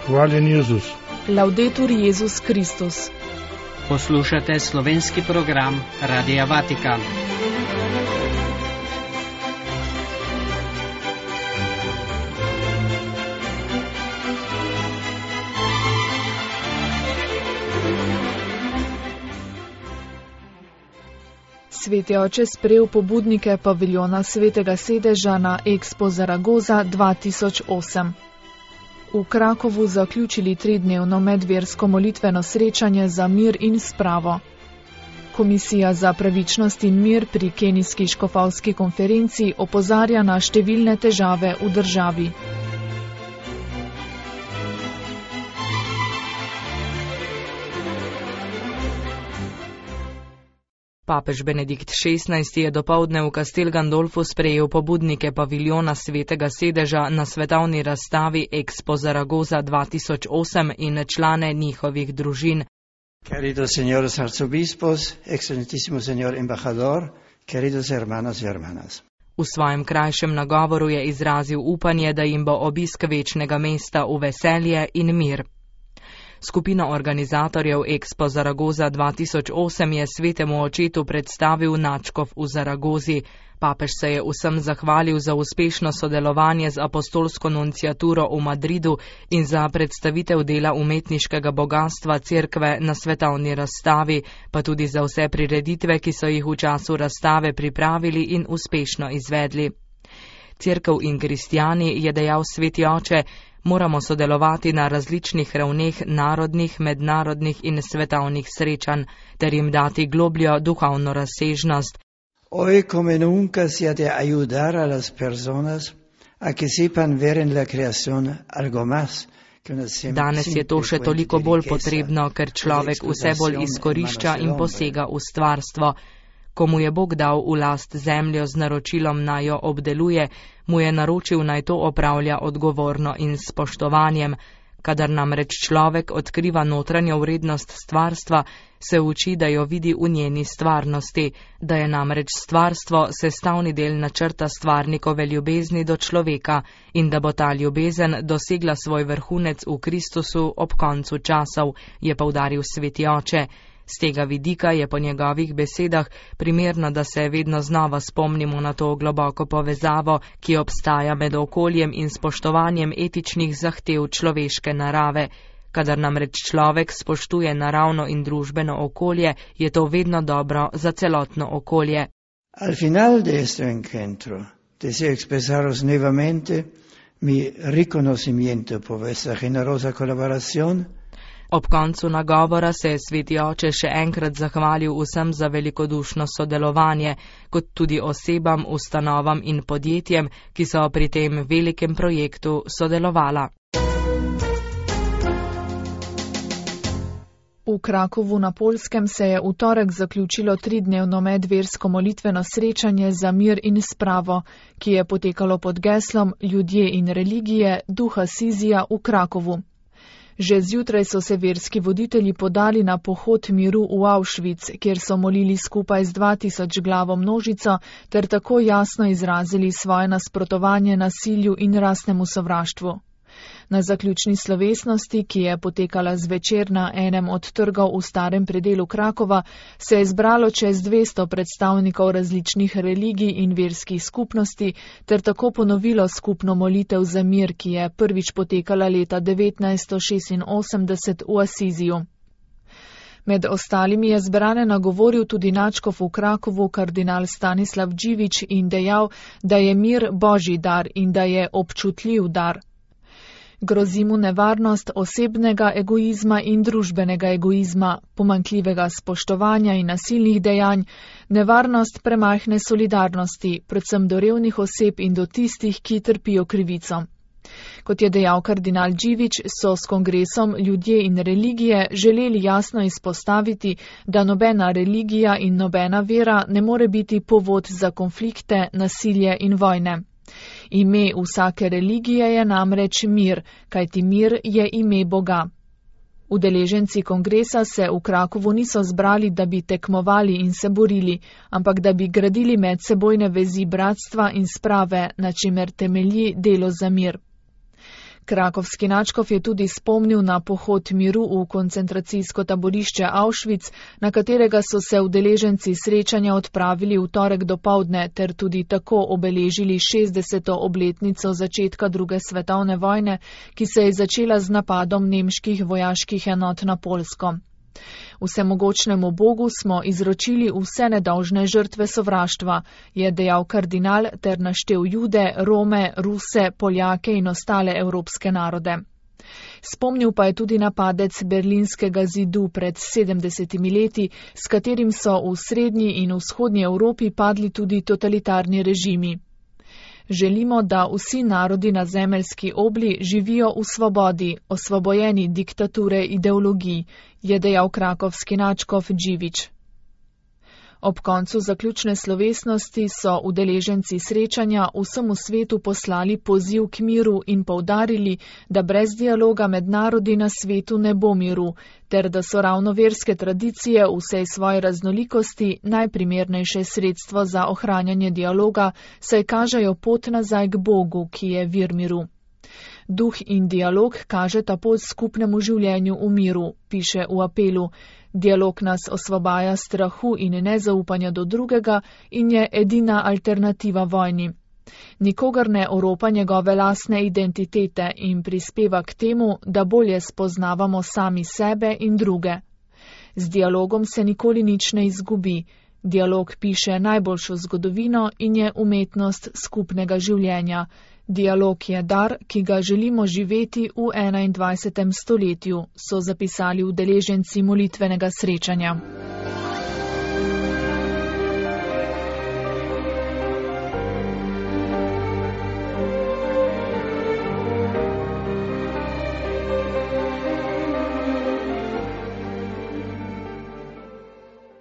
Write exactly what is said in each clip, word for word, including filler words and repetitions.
Hvaljen Jezus. Laudetur Jezus Kristus. Poslušate slovenski program Radia Vatikan. Sveti oče sprejel pobudnike paviljona Svetega sedeža na Expo Zaragoza dva tisoč osem. V Krakovu zaključili tridnevno medversko molitveno srečanje za mir in spravo. Komisija za pravičnost in mir pri kenijski škofovski konferenci opozarja na številne težave v državi. Papež Benedikt šestnajsti je dopoldne v Castel Gandolfu sprejel pobudnike paviljona Svetega sedeža na svetovni razstavi Expo Zaragoza dva tisoč osem in člane njihovih družin. Queridos señores arzobispos, excelentísimo señor embajador, queridos hermanos y hermanas. V svojem krajšem nagovoru je izrazil upanje, da jim bo obisk večnega mesta v veselje in mir. Skupina organizatorjev Expo Zaragoza dva tisoč osem je svetemu očetu predstavil nadškof v Zaragozi. Papež se je vsem zahvalil za uspešno sodelovanje z apostolsko nunciaturo v Madridu in za predstavitev dela umetniškega bogatstva cerkve na svetovni razstavi, pa tudi za vse prireditve, ki so jih v času razstave pripravili in uspešno izvedli. Cerkev in kristjani, je dejal sveti oče, moramo sodelovati na različnih ravneh narodnih, mednarodnih in svetovnih srečanj, ter jim dati globljo duhovno razsežnost. Hoy como nunca se ha de ayudar a las personas a que sepan ver en la creación algo más. Danes je to še toliko bolj potrebno, ker človek vse bolj izkorišča in posega v stvarstvo. Komu je Bog dal v last zemljo z naročilom naj jo obdeluje, mu je naročil naj to opravlja odgovorno in s spoštovanjem. Kadar namreč človek odkriva notranjo vrednost stvarstva, se uči, da jo vidi v njeni stvarnosti, da je namreč stvarstvo sestavni del načrta stvarnikove ljubezni do človeka in da bo ta ljubezen dosegla svoj vrhunec v Kristusu ob koncu časov, je poudaril sveti oče. Z tega vidika je po njegovih besedah primerno, da se vedno znova spomnimo na to globoko povezavo, ki obstaja med okoljem in spoštovanjem etičnih zahtev človeške narave. Kadar namreč človek spoštuje naravno in družbeno okolje, je to vedno dobro za celotno okolje. Al final de este encuentro, deseo expresaros nuevamente mi reconocimiento por vuestra generosa colaboración. Ob koncu nagovora se je sveti oče še enkrat zahvalil vsem za velikodušno sodelovanje, kot tudi osebam, ustanovam in podjetjem, ki so pri tem velikem projektu sodelovala. V Krakovu na Poljskem se je v torek zaključilo tridnevno medversko molitveno srečanje za mir in spravo, ki je potekalo pod geslom Ljudje in religije duha Sizija v Krakovu. Že zjutraj so se verski voditelji podali na pohod miru v Auschwitz, kjer so molili skupaj z dva tisoč glavo množico ter tako jasno izrazili svoje nasprotovanje nasilju in rasnemu sovraštvu. Na zaključni slovesnosti, ki je potekala zvečer na enem od trgov v starem predelu Krakova, se je zbralo čez dvesto predstavnikov različnih religij in verskih skupnosti ter tako ponovilo skupno molitev za mir, ki je prvič potekala leta devetnajststo šestinosemdeset v Asiziju. Med ostalimi je zbrane nagovoril tudi nadškof v Krakovu kardinal Stanislav Dživič in dejal, da je mir božji dar in da je občutljiv dar. Grozi mu nevarnost osebnega egoizma in družbenega egoizma, pomanjkljivega spoštovanja in nasilnih dejanj, nevarnost premajhne solidarnosti, predvsem do revnih oseb in do tistih, ki trpijo krivico. Kot je dejal kardinal Dživič, so s kongresom Ljudje in religije želeli jasno izpostaviti, da nobena religija in nobena vera ne more biti povod za konflikte, nasilje in vojne. Ime vsake religije je namreč mir, kajti mir je ime Boga. Udeleženci kongresa se v Krakovu niso zbrali, da bi tekmovali in se borili, ampak da bi gradili medsebojne vezi bratstva in sprave, na čimer temelji delo za mir. Krakovski nadškof je tudi spomnil na pohod miru v koncentracijsko taborišče Auschwitz, na katerega so se udeleženci srečanja odpravili v torek dopoldne ter tudi tako obeležili šestdeseto obletnico začetka druge svetovne vojne, ki se je začela z napadom nemških vojaških enot na Poljsko. Vsemogočnemu Bogu smo izročili vse nedolžne žrtve sovraštva, je dejal kardinal ter naštel Jude, Rome, Ruse, Poljake in ostale evropske narode. Spomnil pa je tudi na padec berlinskega zidu pred sedemdesetimi leti, s katerim so v srednji in vzhodnji Evropi padli tudi totalitarni režimi. Želimo, da vsi narodi na zemeljski obli živijo v svobodi, osvobojeni diktature ideologij, je dejal krakovski nadškof Dživič. Ob koncu zaključne slovesnosti so udeleženci srečanja vsemu svetu poslali poziv k miru in poudarili, da brez dialoga med narodi na svetu ne bo miru, ter da so ravno verske tradicije v vsej svoji raznolikosti najprimernejše sredstvo za ohranjanje dialoga, saj kažejo pot nazaj k Bogu, ki je vir miru. Duh in dialog kažeta pot skupnemu življenju v miru, piše v apelu. Dialog nas osvobaja strahu in nezaupanja do drugega in je edina alternativa vojni. Nikogar ne oropa njegove lastne identitete in prispeva k temu, da bolje spoznavamo sami sebe in druge. Z dialogom se nikoli nič ne izgubi. Dialog piše najboljšo zgodovino in je umetnost skupnega življenja. Dialog je dar, ki ga želimo živeti v enaindvajsetem stoletju, so zapisali udeleženci molitvenega srečanja.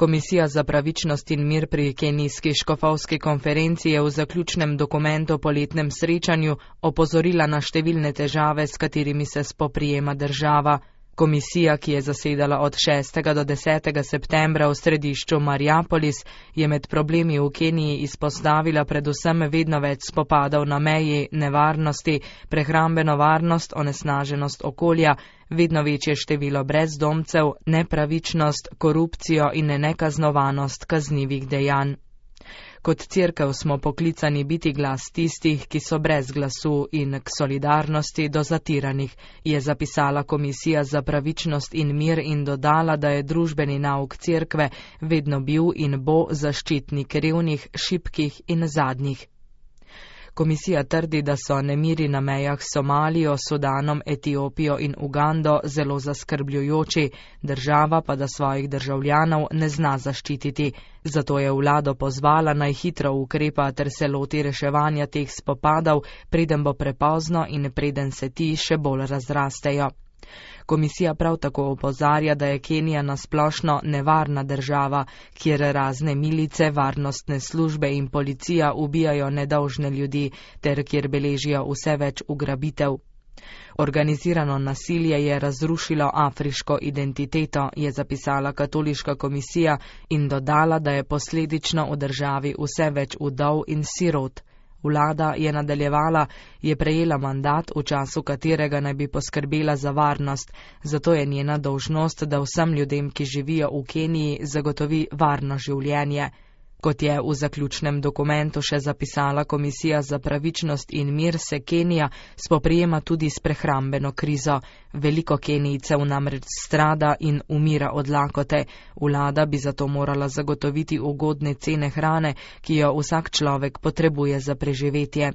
Komisija za pravičnost in mir pri kenijski škofovski konferenci je v zaključnem dokumentu po letnem srečanju opozorila na številne težave, s katerimi se spoprijema država. Komisija, ki je zasedala od šestega do desetega septembra v središču Mariapolis, je med problemi v Keniji izpostavila predvsem vedno več spopadov na meji, nevarnosti, prehrambeno varnost, onesnaženost okolja, vedno večje število brezdomcev, nepravičnost, korupcijo in nekaznovanost kaznivih dejanj. Kot cerkev smo poklicani biti glas tistih, ki so brez glasu in k solidarnosti do zatiranih, je zapisala Komisija za pravičnost in mir in dodala, da je družbeni nauk cerkve vedno bil in bo zaščitnik revnih, šibkih in zadnjih. Komisija trdi, da so nemiri na mejah s Somalijo, Sudanom, Etiopijo in Ugando zelo zaskrbljujoči, država pa da svojih državljanov ne zna zaščititi. Zato je vlado pozvala naj hitro ukrepa ter se loti reševanja teh spopadov, preden bo prepozno in preden se ti še bolj razrastejo. Komisija prav tako opozarja, da je Kenija nasplošno nevarna država, kjer razne milice, varnostne službe in policija ubijajo nedolžne ljudi, ter kjer beležijo vse več ugrabitev. Organizirano nasilje je razrušilo afriško identiteto, je zapisala katoliška komisija in dodala, da je posledično v državi vse več vdov in sirot. Vlada, je nadaljevala, je prejela mandat, v času katerega naj bi poskrbela za varnost, zato je njena dolžnost, da vsem ljudem, ki živijo v Keniji, zagotovi varno življenje. Kot je v zaključnem dokumentu še zapisala Komisija za pravičnost in mir, se Kenija spoprijema tudi s prehrambeno krizo. Veliko Kenijcev namreč strada in umira od lakote. Vlada bi zato morala zagotoviti ugodne cene hrane, ki jo vsak človek potrebuje za preživetje.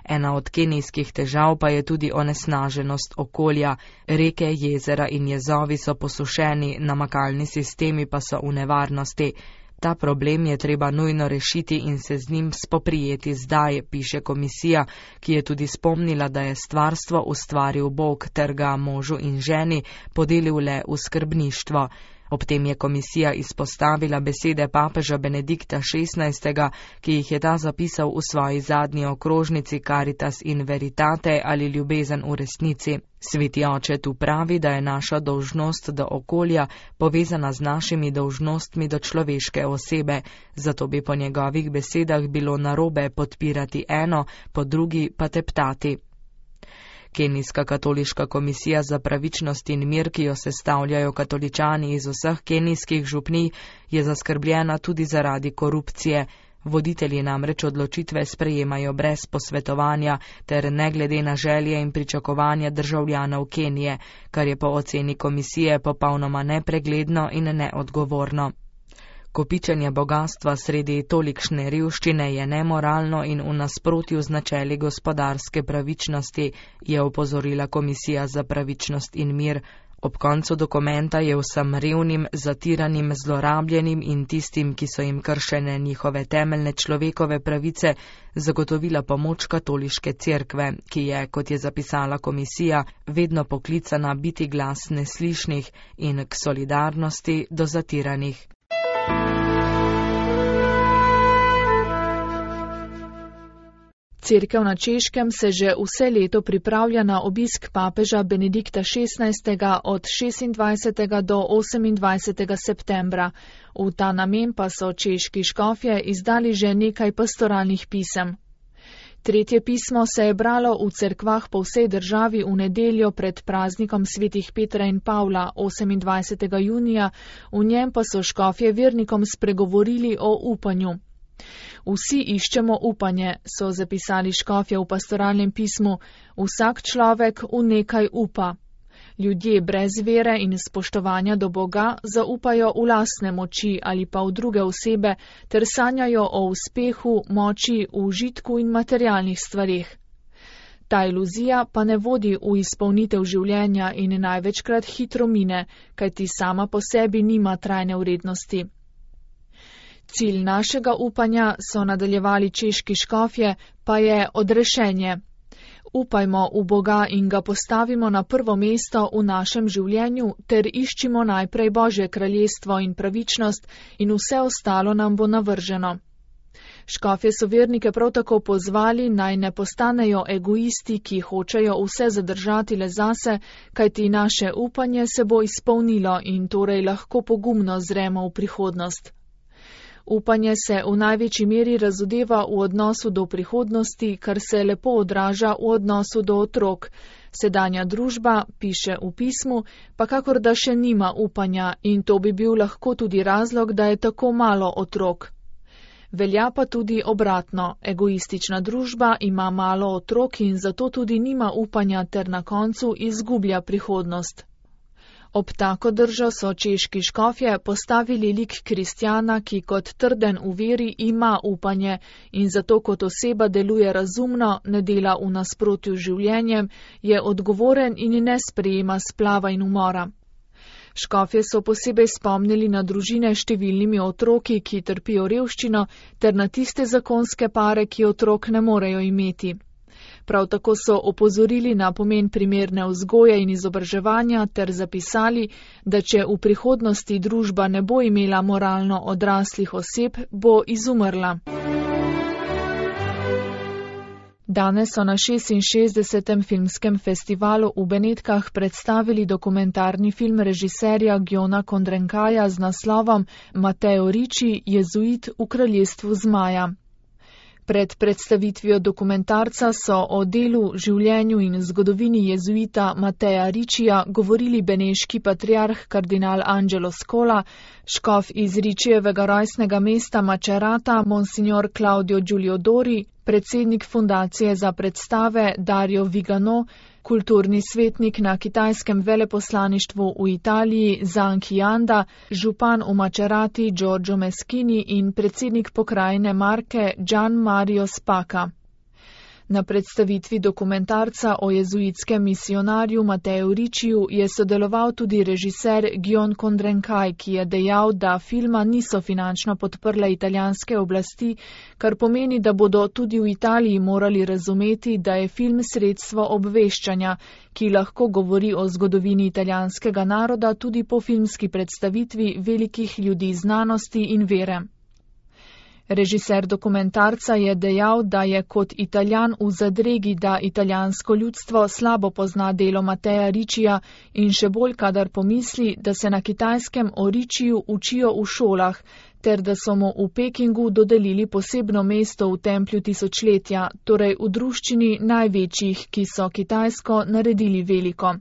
Ena od kenijskih težav pa je tudi onesnaženost okolja. Reke, jezera in jezovi so posušeni, namakalni sistemi pa so v nevarnosti. Ta problem je treba nujno rešiti in se z njim spoprijeti zdaj, piše komisija, ki je tudi spomnila, da je stvarstvo ustvaril Bog ter ga možu in ženi podelil le v skrbništvo. Ob tem je komisija izpostavila besede papeža Benedikta šestnajstega, ki jih je ta zapisal v svoji zadnji okrožnici Caritas in Veritate ali ljubezen v resnici. Sveti oče tu pravi, da je naša dolžnost do okolja povezana z našimi dolžnostmi do človeške osebe, zato bi po njegovih besedah bilo narobe podpirati eno, po drugi pa teptati. Kenijska katoliška komisija za pravičnost in mir, ki jo sestavljajo katoličani iz vseh kenijskih župnij, je zaskrbljena tudi zaradi korupcije. Voditelji namreč odločitve sprejemajo brez posvetovanja ter ne glede na želje in pričakovanja državljanov Kenije, kar je po oceni komisije popolnoma nepregledno in neodgovorno. Kopičenje bogatstva sredi tolikšne revščine je nemoralno in v nasprotju z načeli gospodarske pravičnosti, je opozorila Komisija za pravičnost in mir. Ob koncu dokumenta je vsem revnim, zatiranim, zlorabljenim in tistim, ki so jim kršene njihove temeljne človekove pravice, zagotovila pomoč katoliške cerkve, ki je, kot je zapisala komisija, vedno poklicana biti glas neslišnih in k solidarnosti do zatiranih. Cerkev na Češkem se že vse leto pripravlja na obisk papeža Benedikta šestnajstega od šestindvajsetega do osemindvajsetega septembra. V ta namen pa so češki škofje izdali že nekaj pastoralnih pisem. Tretje pismo se je bralo v cerkvah po vsej državi v nedeljo pred praznikom svetih Petra in Pavla osemindvajsetega junija, v njem pa so škofje vernikom spregovorili o upanju. Vsi iščemo upanje, so zapisali škofje v pastoralnem pismu, vsak človek v nekaj upa. Ljudje brez vere in spoštovanja do Boga zaupajo v lastne moči ali pa v druge osebe ter sanjajo o uspehu, moči, užitku in materialnih stvarih. Ta iluzija pa ne vodi v izpolnitev življenja in največkrat hitro mine, kajti sama po sebi nima trajne vrednosti. Cilj našega upanja, so nadaljevali češki škofje, pa je odrešenje. Upajmo v Boga in ga postavimo na prvo mesto v našem življenju ter iščimo najprej Božje kraljestvo in pravičnost in vse ostalo nam bo navrženo. Škofje so vernike prav tako pozvali, naj ne postanejo egoisti, ki hočejo vse zadržati le zase, kajti naše upanje se bo izpolnilo in torej lahko pogumno zremo v prihodnost. Upanje se v največji meri razodeva v odnosu do prihodnosti, kar se lepo odraža v odnosu do otrok. Sedanja družba, piše v pismu, pa kakor da še nima upanja in to bi bil lahko tudi razlog, da je tako malo otrok. Velja pa tudi obratno, egoistična družba ima malo otrok in zato tudi nima upanja ter na koncu izgublja prihodnost. Ob tako držo so češki škofje postavili lik kristjana, ki kot trden v veri ima upanje in zato kot oseba deluje razumno, ne dela v nasprotju z življenjem, je odgovoren in ne sprejema splava in umora. Škofje so posebej spomnili na družine s številnimi otroki, ki trpijo revščino, ter na tiste zakonske pare, ki otrok ne morejo imeti. Prav tako so opozorili na pomen primerne vzgoje in izobraževanja ter zapisali, da če v prihodnosti družba ne bo imela moralno odraslih oseb, bo izumrla. Danes so na šestinšestdesetem filmskem festivalu v Benetkah predstavili dokumentarni film režiserja Gjona Kondrenkaja z naslovom Matteo Ricci, jezuit v kraljestvu zmaja. Pred predstavitvijo dokumentarca so o delu, življenju in zgodovini jezuita Matteja Riccija govorili beneški patriarh kardinal Angelo Scola, škof iz Riccijevega rojstnega mesta Macerata monsignor Claudio Giulio Dori, predsednik fundacije za predstave Dario Vigano, kulturni svetnik na kitajskem veleposlaništvu v Italiji Zhang Qianda, župan v Macerati Giorgio Meschini in predsednik pokrajine Marke Gian Mario Spaka. Na predstavitvi dokumentarca o jezuitskem misionarju Matteju Ricciju je sodeloval tudi režiser Gjon Kondrenkaj, ki je dejal, da filma niso finančno podprle italijanske oblasti, kar pomeni, da bodo tudi v Italiji morali razumeti, da je film sredstvo obveščanja, ki lahko govori o zgodovini italijanskega naroda tudi po filmski predstavitvi velikih ljudi znanosti in vere. Režiser dokumentarca je dejal, da je kot Italijan v zadregi, da italijansko ljudstvo slabo pozna delo Matteja Riccija in še bolj kadar pomisli, da se na Kitajskem o Ricciju učijo v šolah, ter da so mu v Pekingu dodelili posebno mesto v templju tisočletja, torej v druščini največjih, ki so Kitajsko naredili veliko.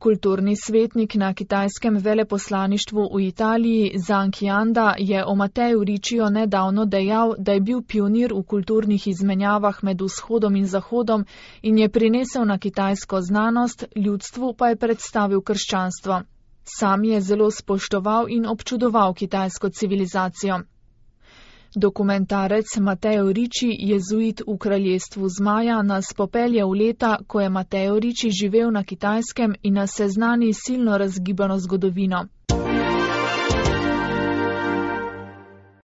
Kulturni svetnik na kitajskem veleposlaništvu v Italiji Zhang Qianda je o Mateju Ricciu nedavno dejal, da je bil pionir v kulturnih izmenjavah med vzhodom in zahodom in je prinesel na kitajsko znanost, ljudstvu pa je predstavil krščanstvo. Sam je zelo spoštoval in občudoval kitajsko civilizacijo. Dokumentarec Mateo Ricci, jezuit v kraljestvu zmaja, nas popelje v leta, ko je Mateo Ricci živel na Kitajskem in nas seznani silno razgibano zgodovino.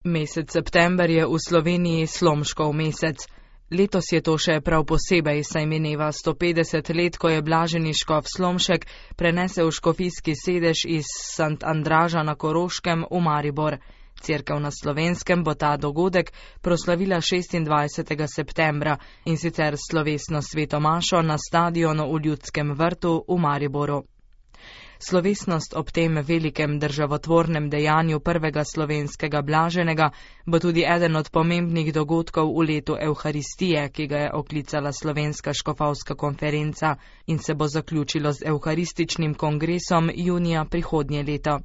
Mesec september je v Sloveniji Slomškov mesec. Letos je to še prav posebej, saj mineva sto petdeset let, ko je blaženi škof Slomšek prenesel škofijski sedež iz Sant Andraža na Koroškem v Maribor. Cerkev na Slovenskem bo ta dogodek proslavila šestindvajsetega septembra in sicer slovesno sveto mašo na stadionu v Ljudskem vrtu v Mariboru. Slovesnost ob tem velikem državotvornem dejanju prvega slovenskega blaženega bo tudi eden od pomembnih dogodkov v letu Evharistije, ki ga je oklicala Slovenska škofovska konferenca in se bo zaključilo z evharističnim kongresom junija prihodnje leto.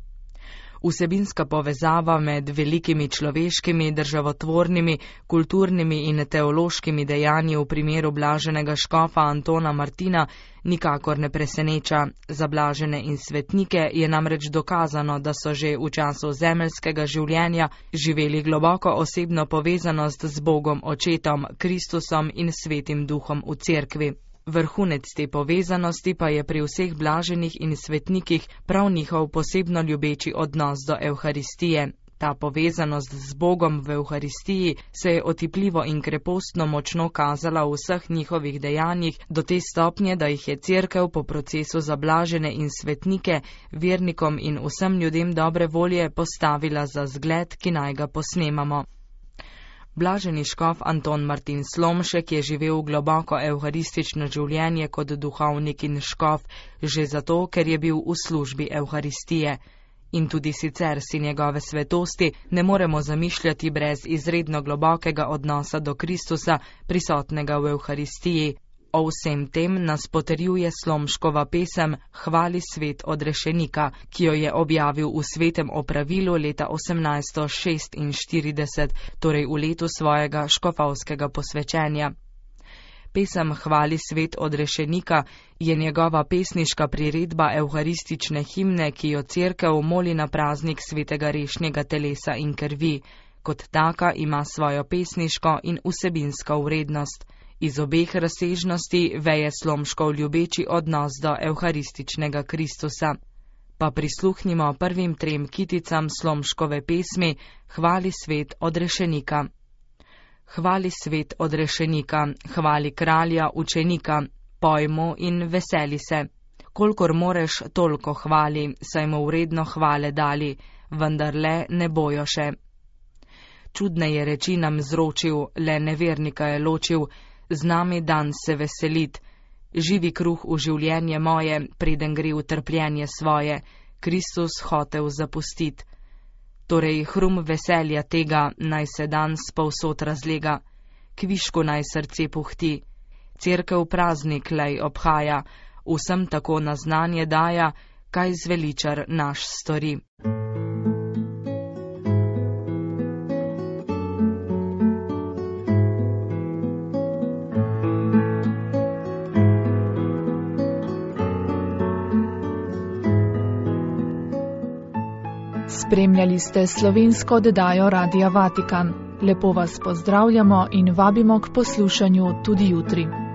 Vsebinska povezava med velikimi človeškimi, državotvornimi, kulturnimi in teološkimi dejanji v primeru blaženega škofa Antona Martina nikakor ne preseneča. Za blažene in svetnike je namreč dokazano, da so že v času zemeljskega življenja živeli globoko osebno povezanost z Bogom Očetom, Kristusom in Svetim Duhom v cerkvi. Vrhunec te povezanosti pa je pri vseh blaženih in svetnikih prav njihov posebno ljubeči odnos do Evharistije. Ta povezanost z Bogom v Evharistiji se je otipljivo in krepostno močno kazala v vseh njihovih dejanjih do te stopnje, da jih je cerkev po procesu za blažene in svetnike, vernikom in vsem ljudem dobre volje postavila za zgled, ki naj ga posnemamo. Blaženi škof Anton Martin Slomšek je živel globoko evharistično življenje kot duhovnik in škof, že zato, ker je bil v službi Evharistije. In tudi sicer si njegove svetosti ne moremo zamišljati brez izredno globokega odnosa do Kristusa, prisotnega v Evharistiji. O vsem tem nas potrjuje Slomškova pesem Hvali svet odrešenika, ki jo je objavil v Svetem opravilu leta osemnajststo šestinštirideset, torej v letu svojega škofovskega posvečenja. Pesem Hvali svet odrešenika je njegova pesniška priredba evharistične himne, ki jo cerkev moli na praznik svetega rešnjega telesa in krvi. Kot taka ima svojo pesniško in vsebinsko vrednost. Iz obeh razsežnosti veje Slomškov ljubeči odnos do evharističnega Kristusa. Pa prisluhnimo prvim trem kiticam Slomškove pesmi Hvali svet odrešenika. Hvali svet odrešenika, hvali kralja učenika, pojmo in veseli se. Kolikor moreš, toliko hvali, saj mu vredno hvale dali, vendar le ne bojo še. Čudne je reči nam zročil, le nevernika je ločil, z nami dan se veselit. Živi kruh v življenje moje, preden gre v trpljenje svoje, Kristus hotel zapustit. Torej hrum veselja tega, naj se dan spovsod razlega, kvišku naj srce puhti. Cerkev praznik lej obhaja, vsem tako na znanje daja, kaj zveličar naš stori. Spremljali ste slovensko oddajo Radia Vatikan. Lepo vas pozdravljamo in vabimo k poslušanju tudi jutri.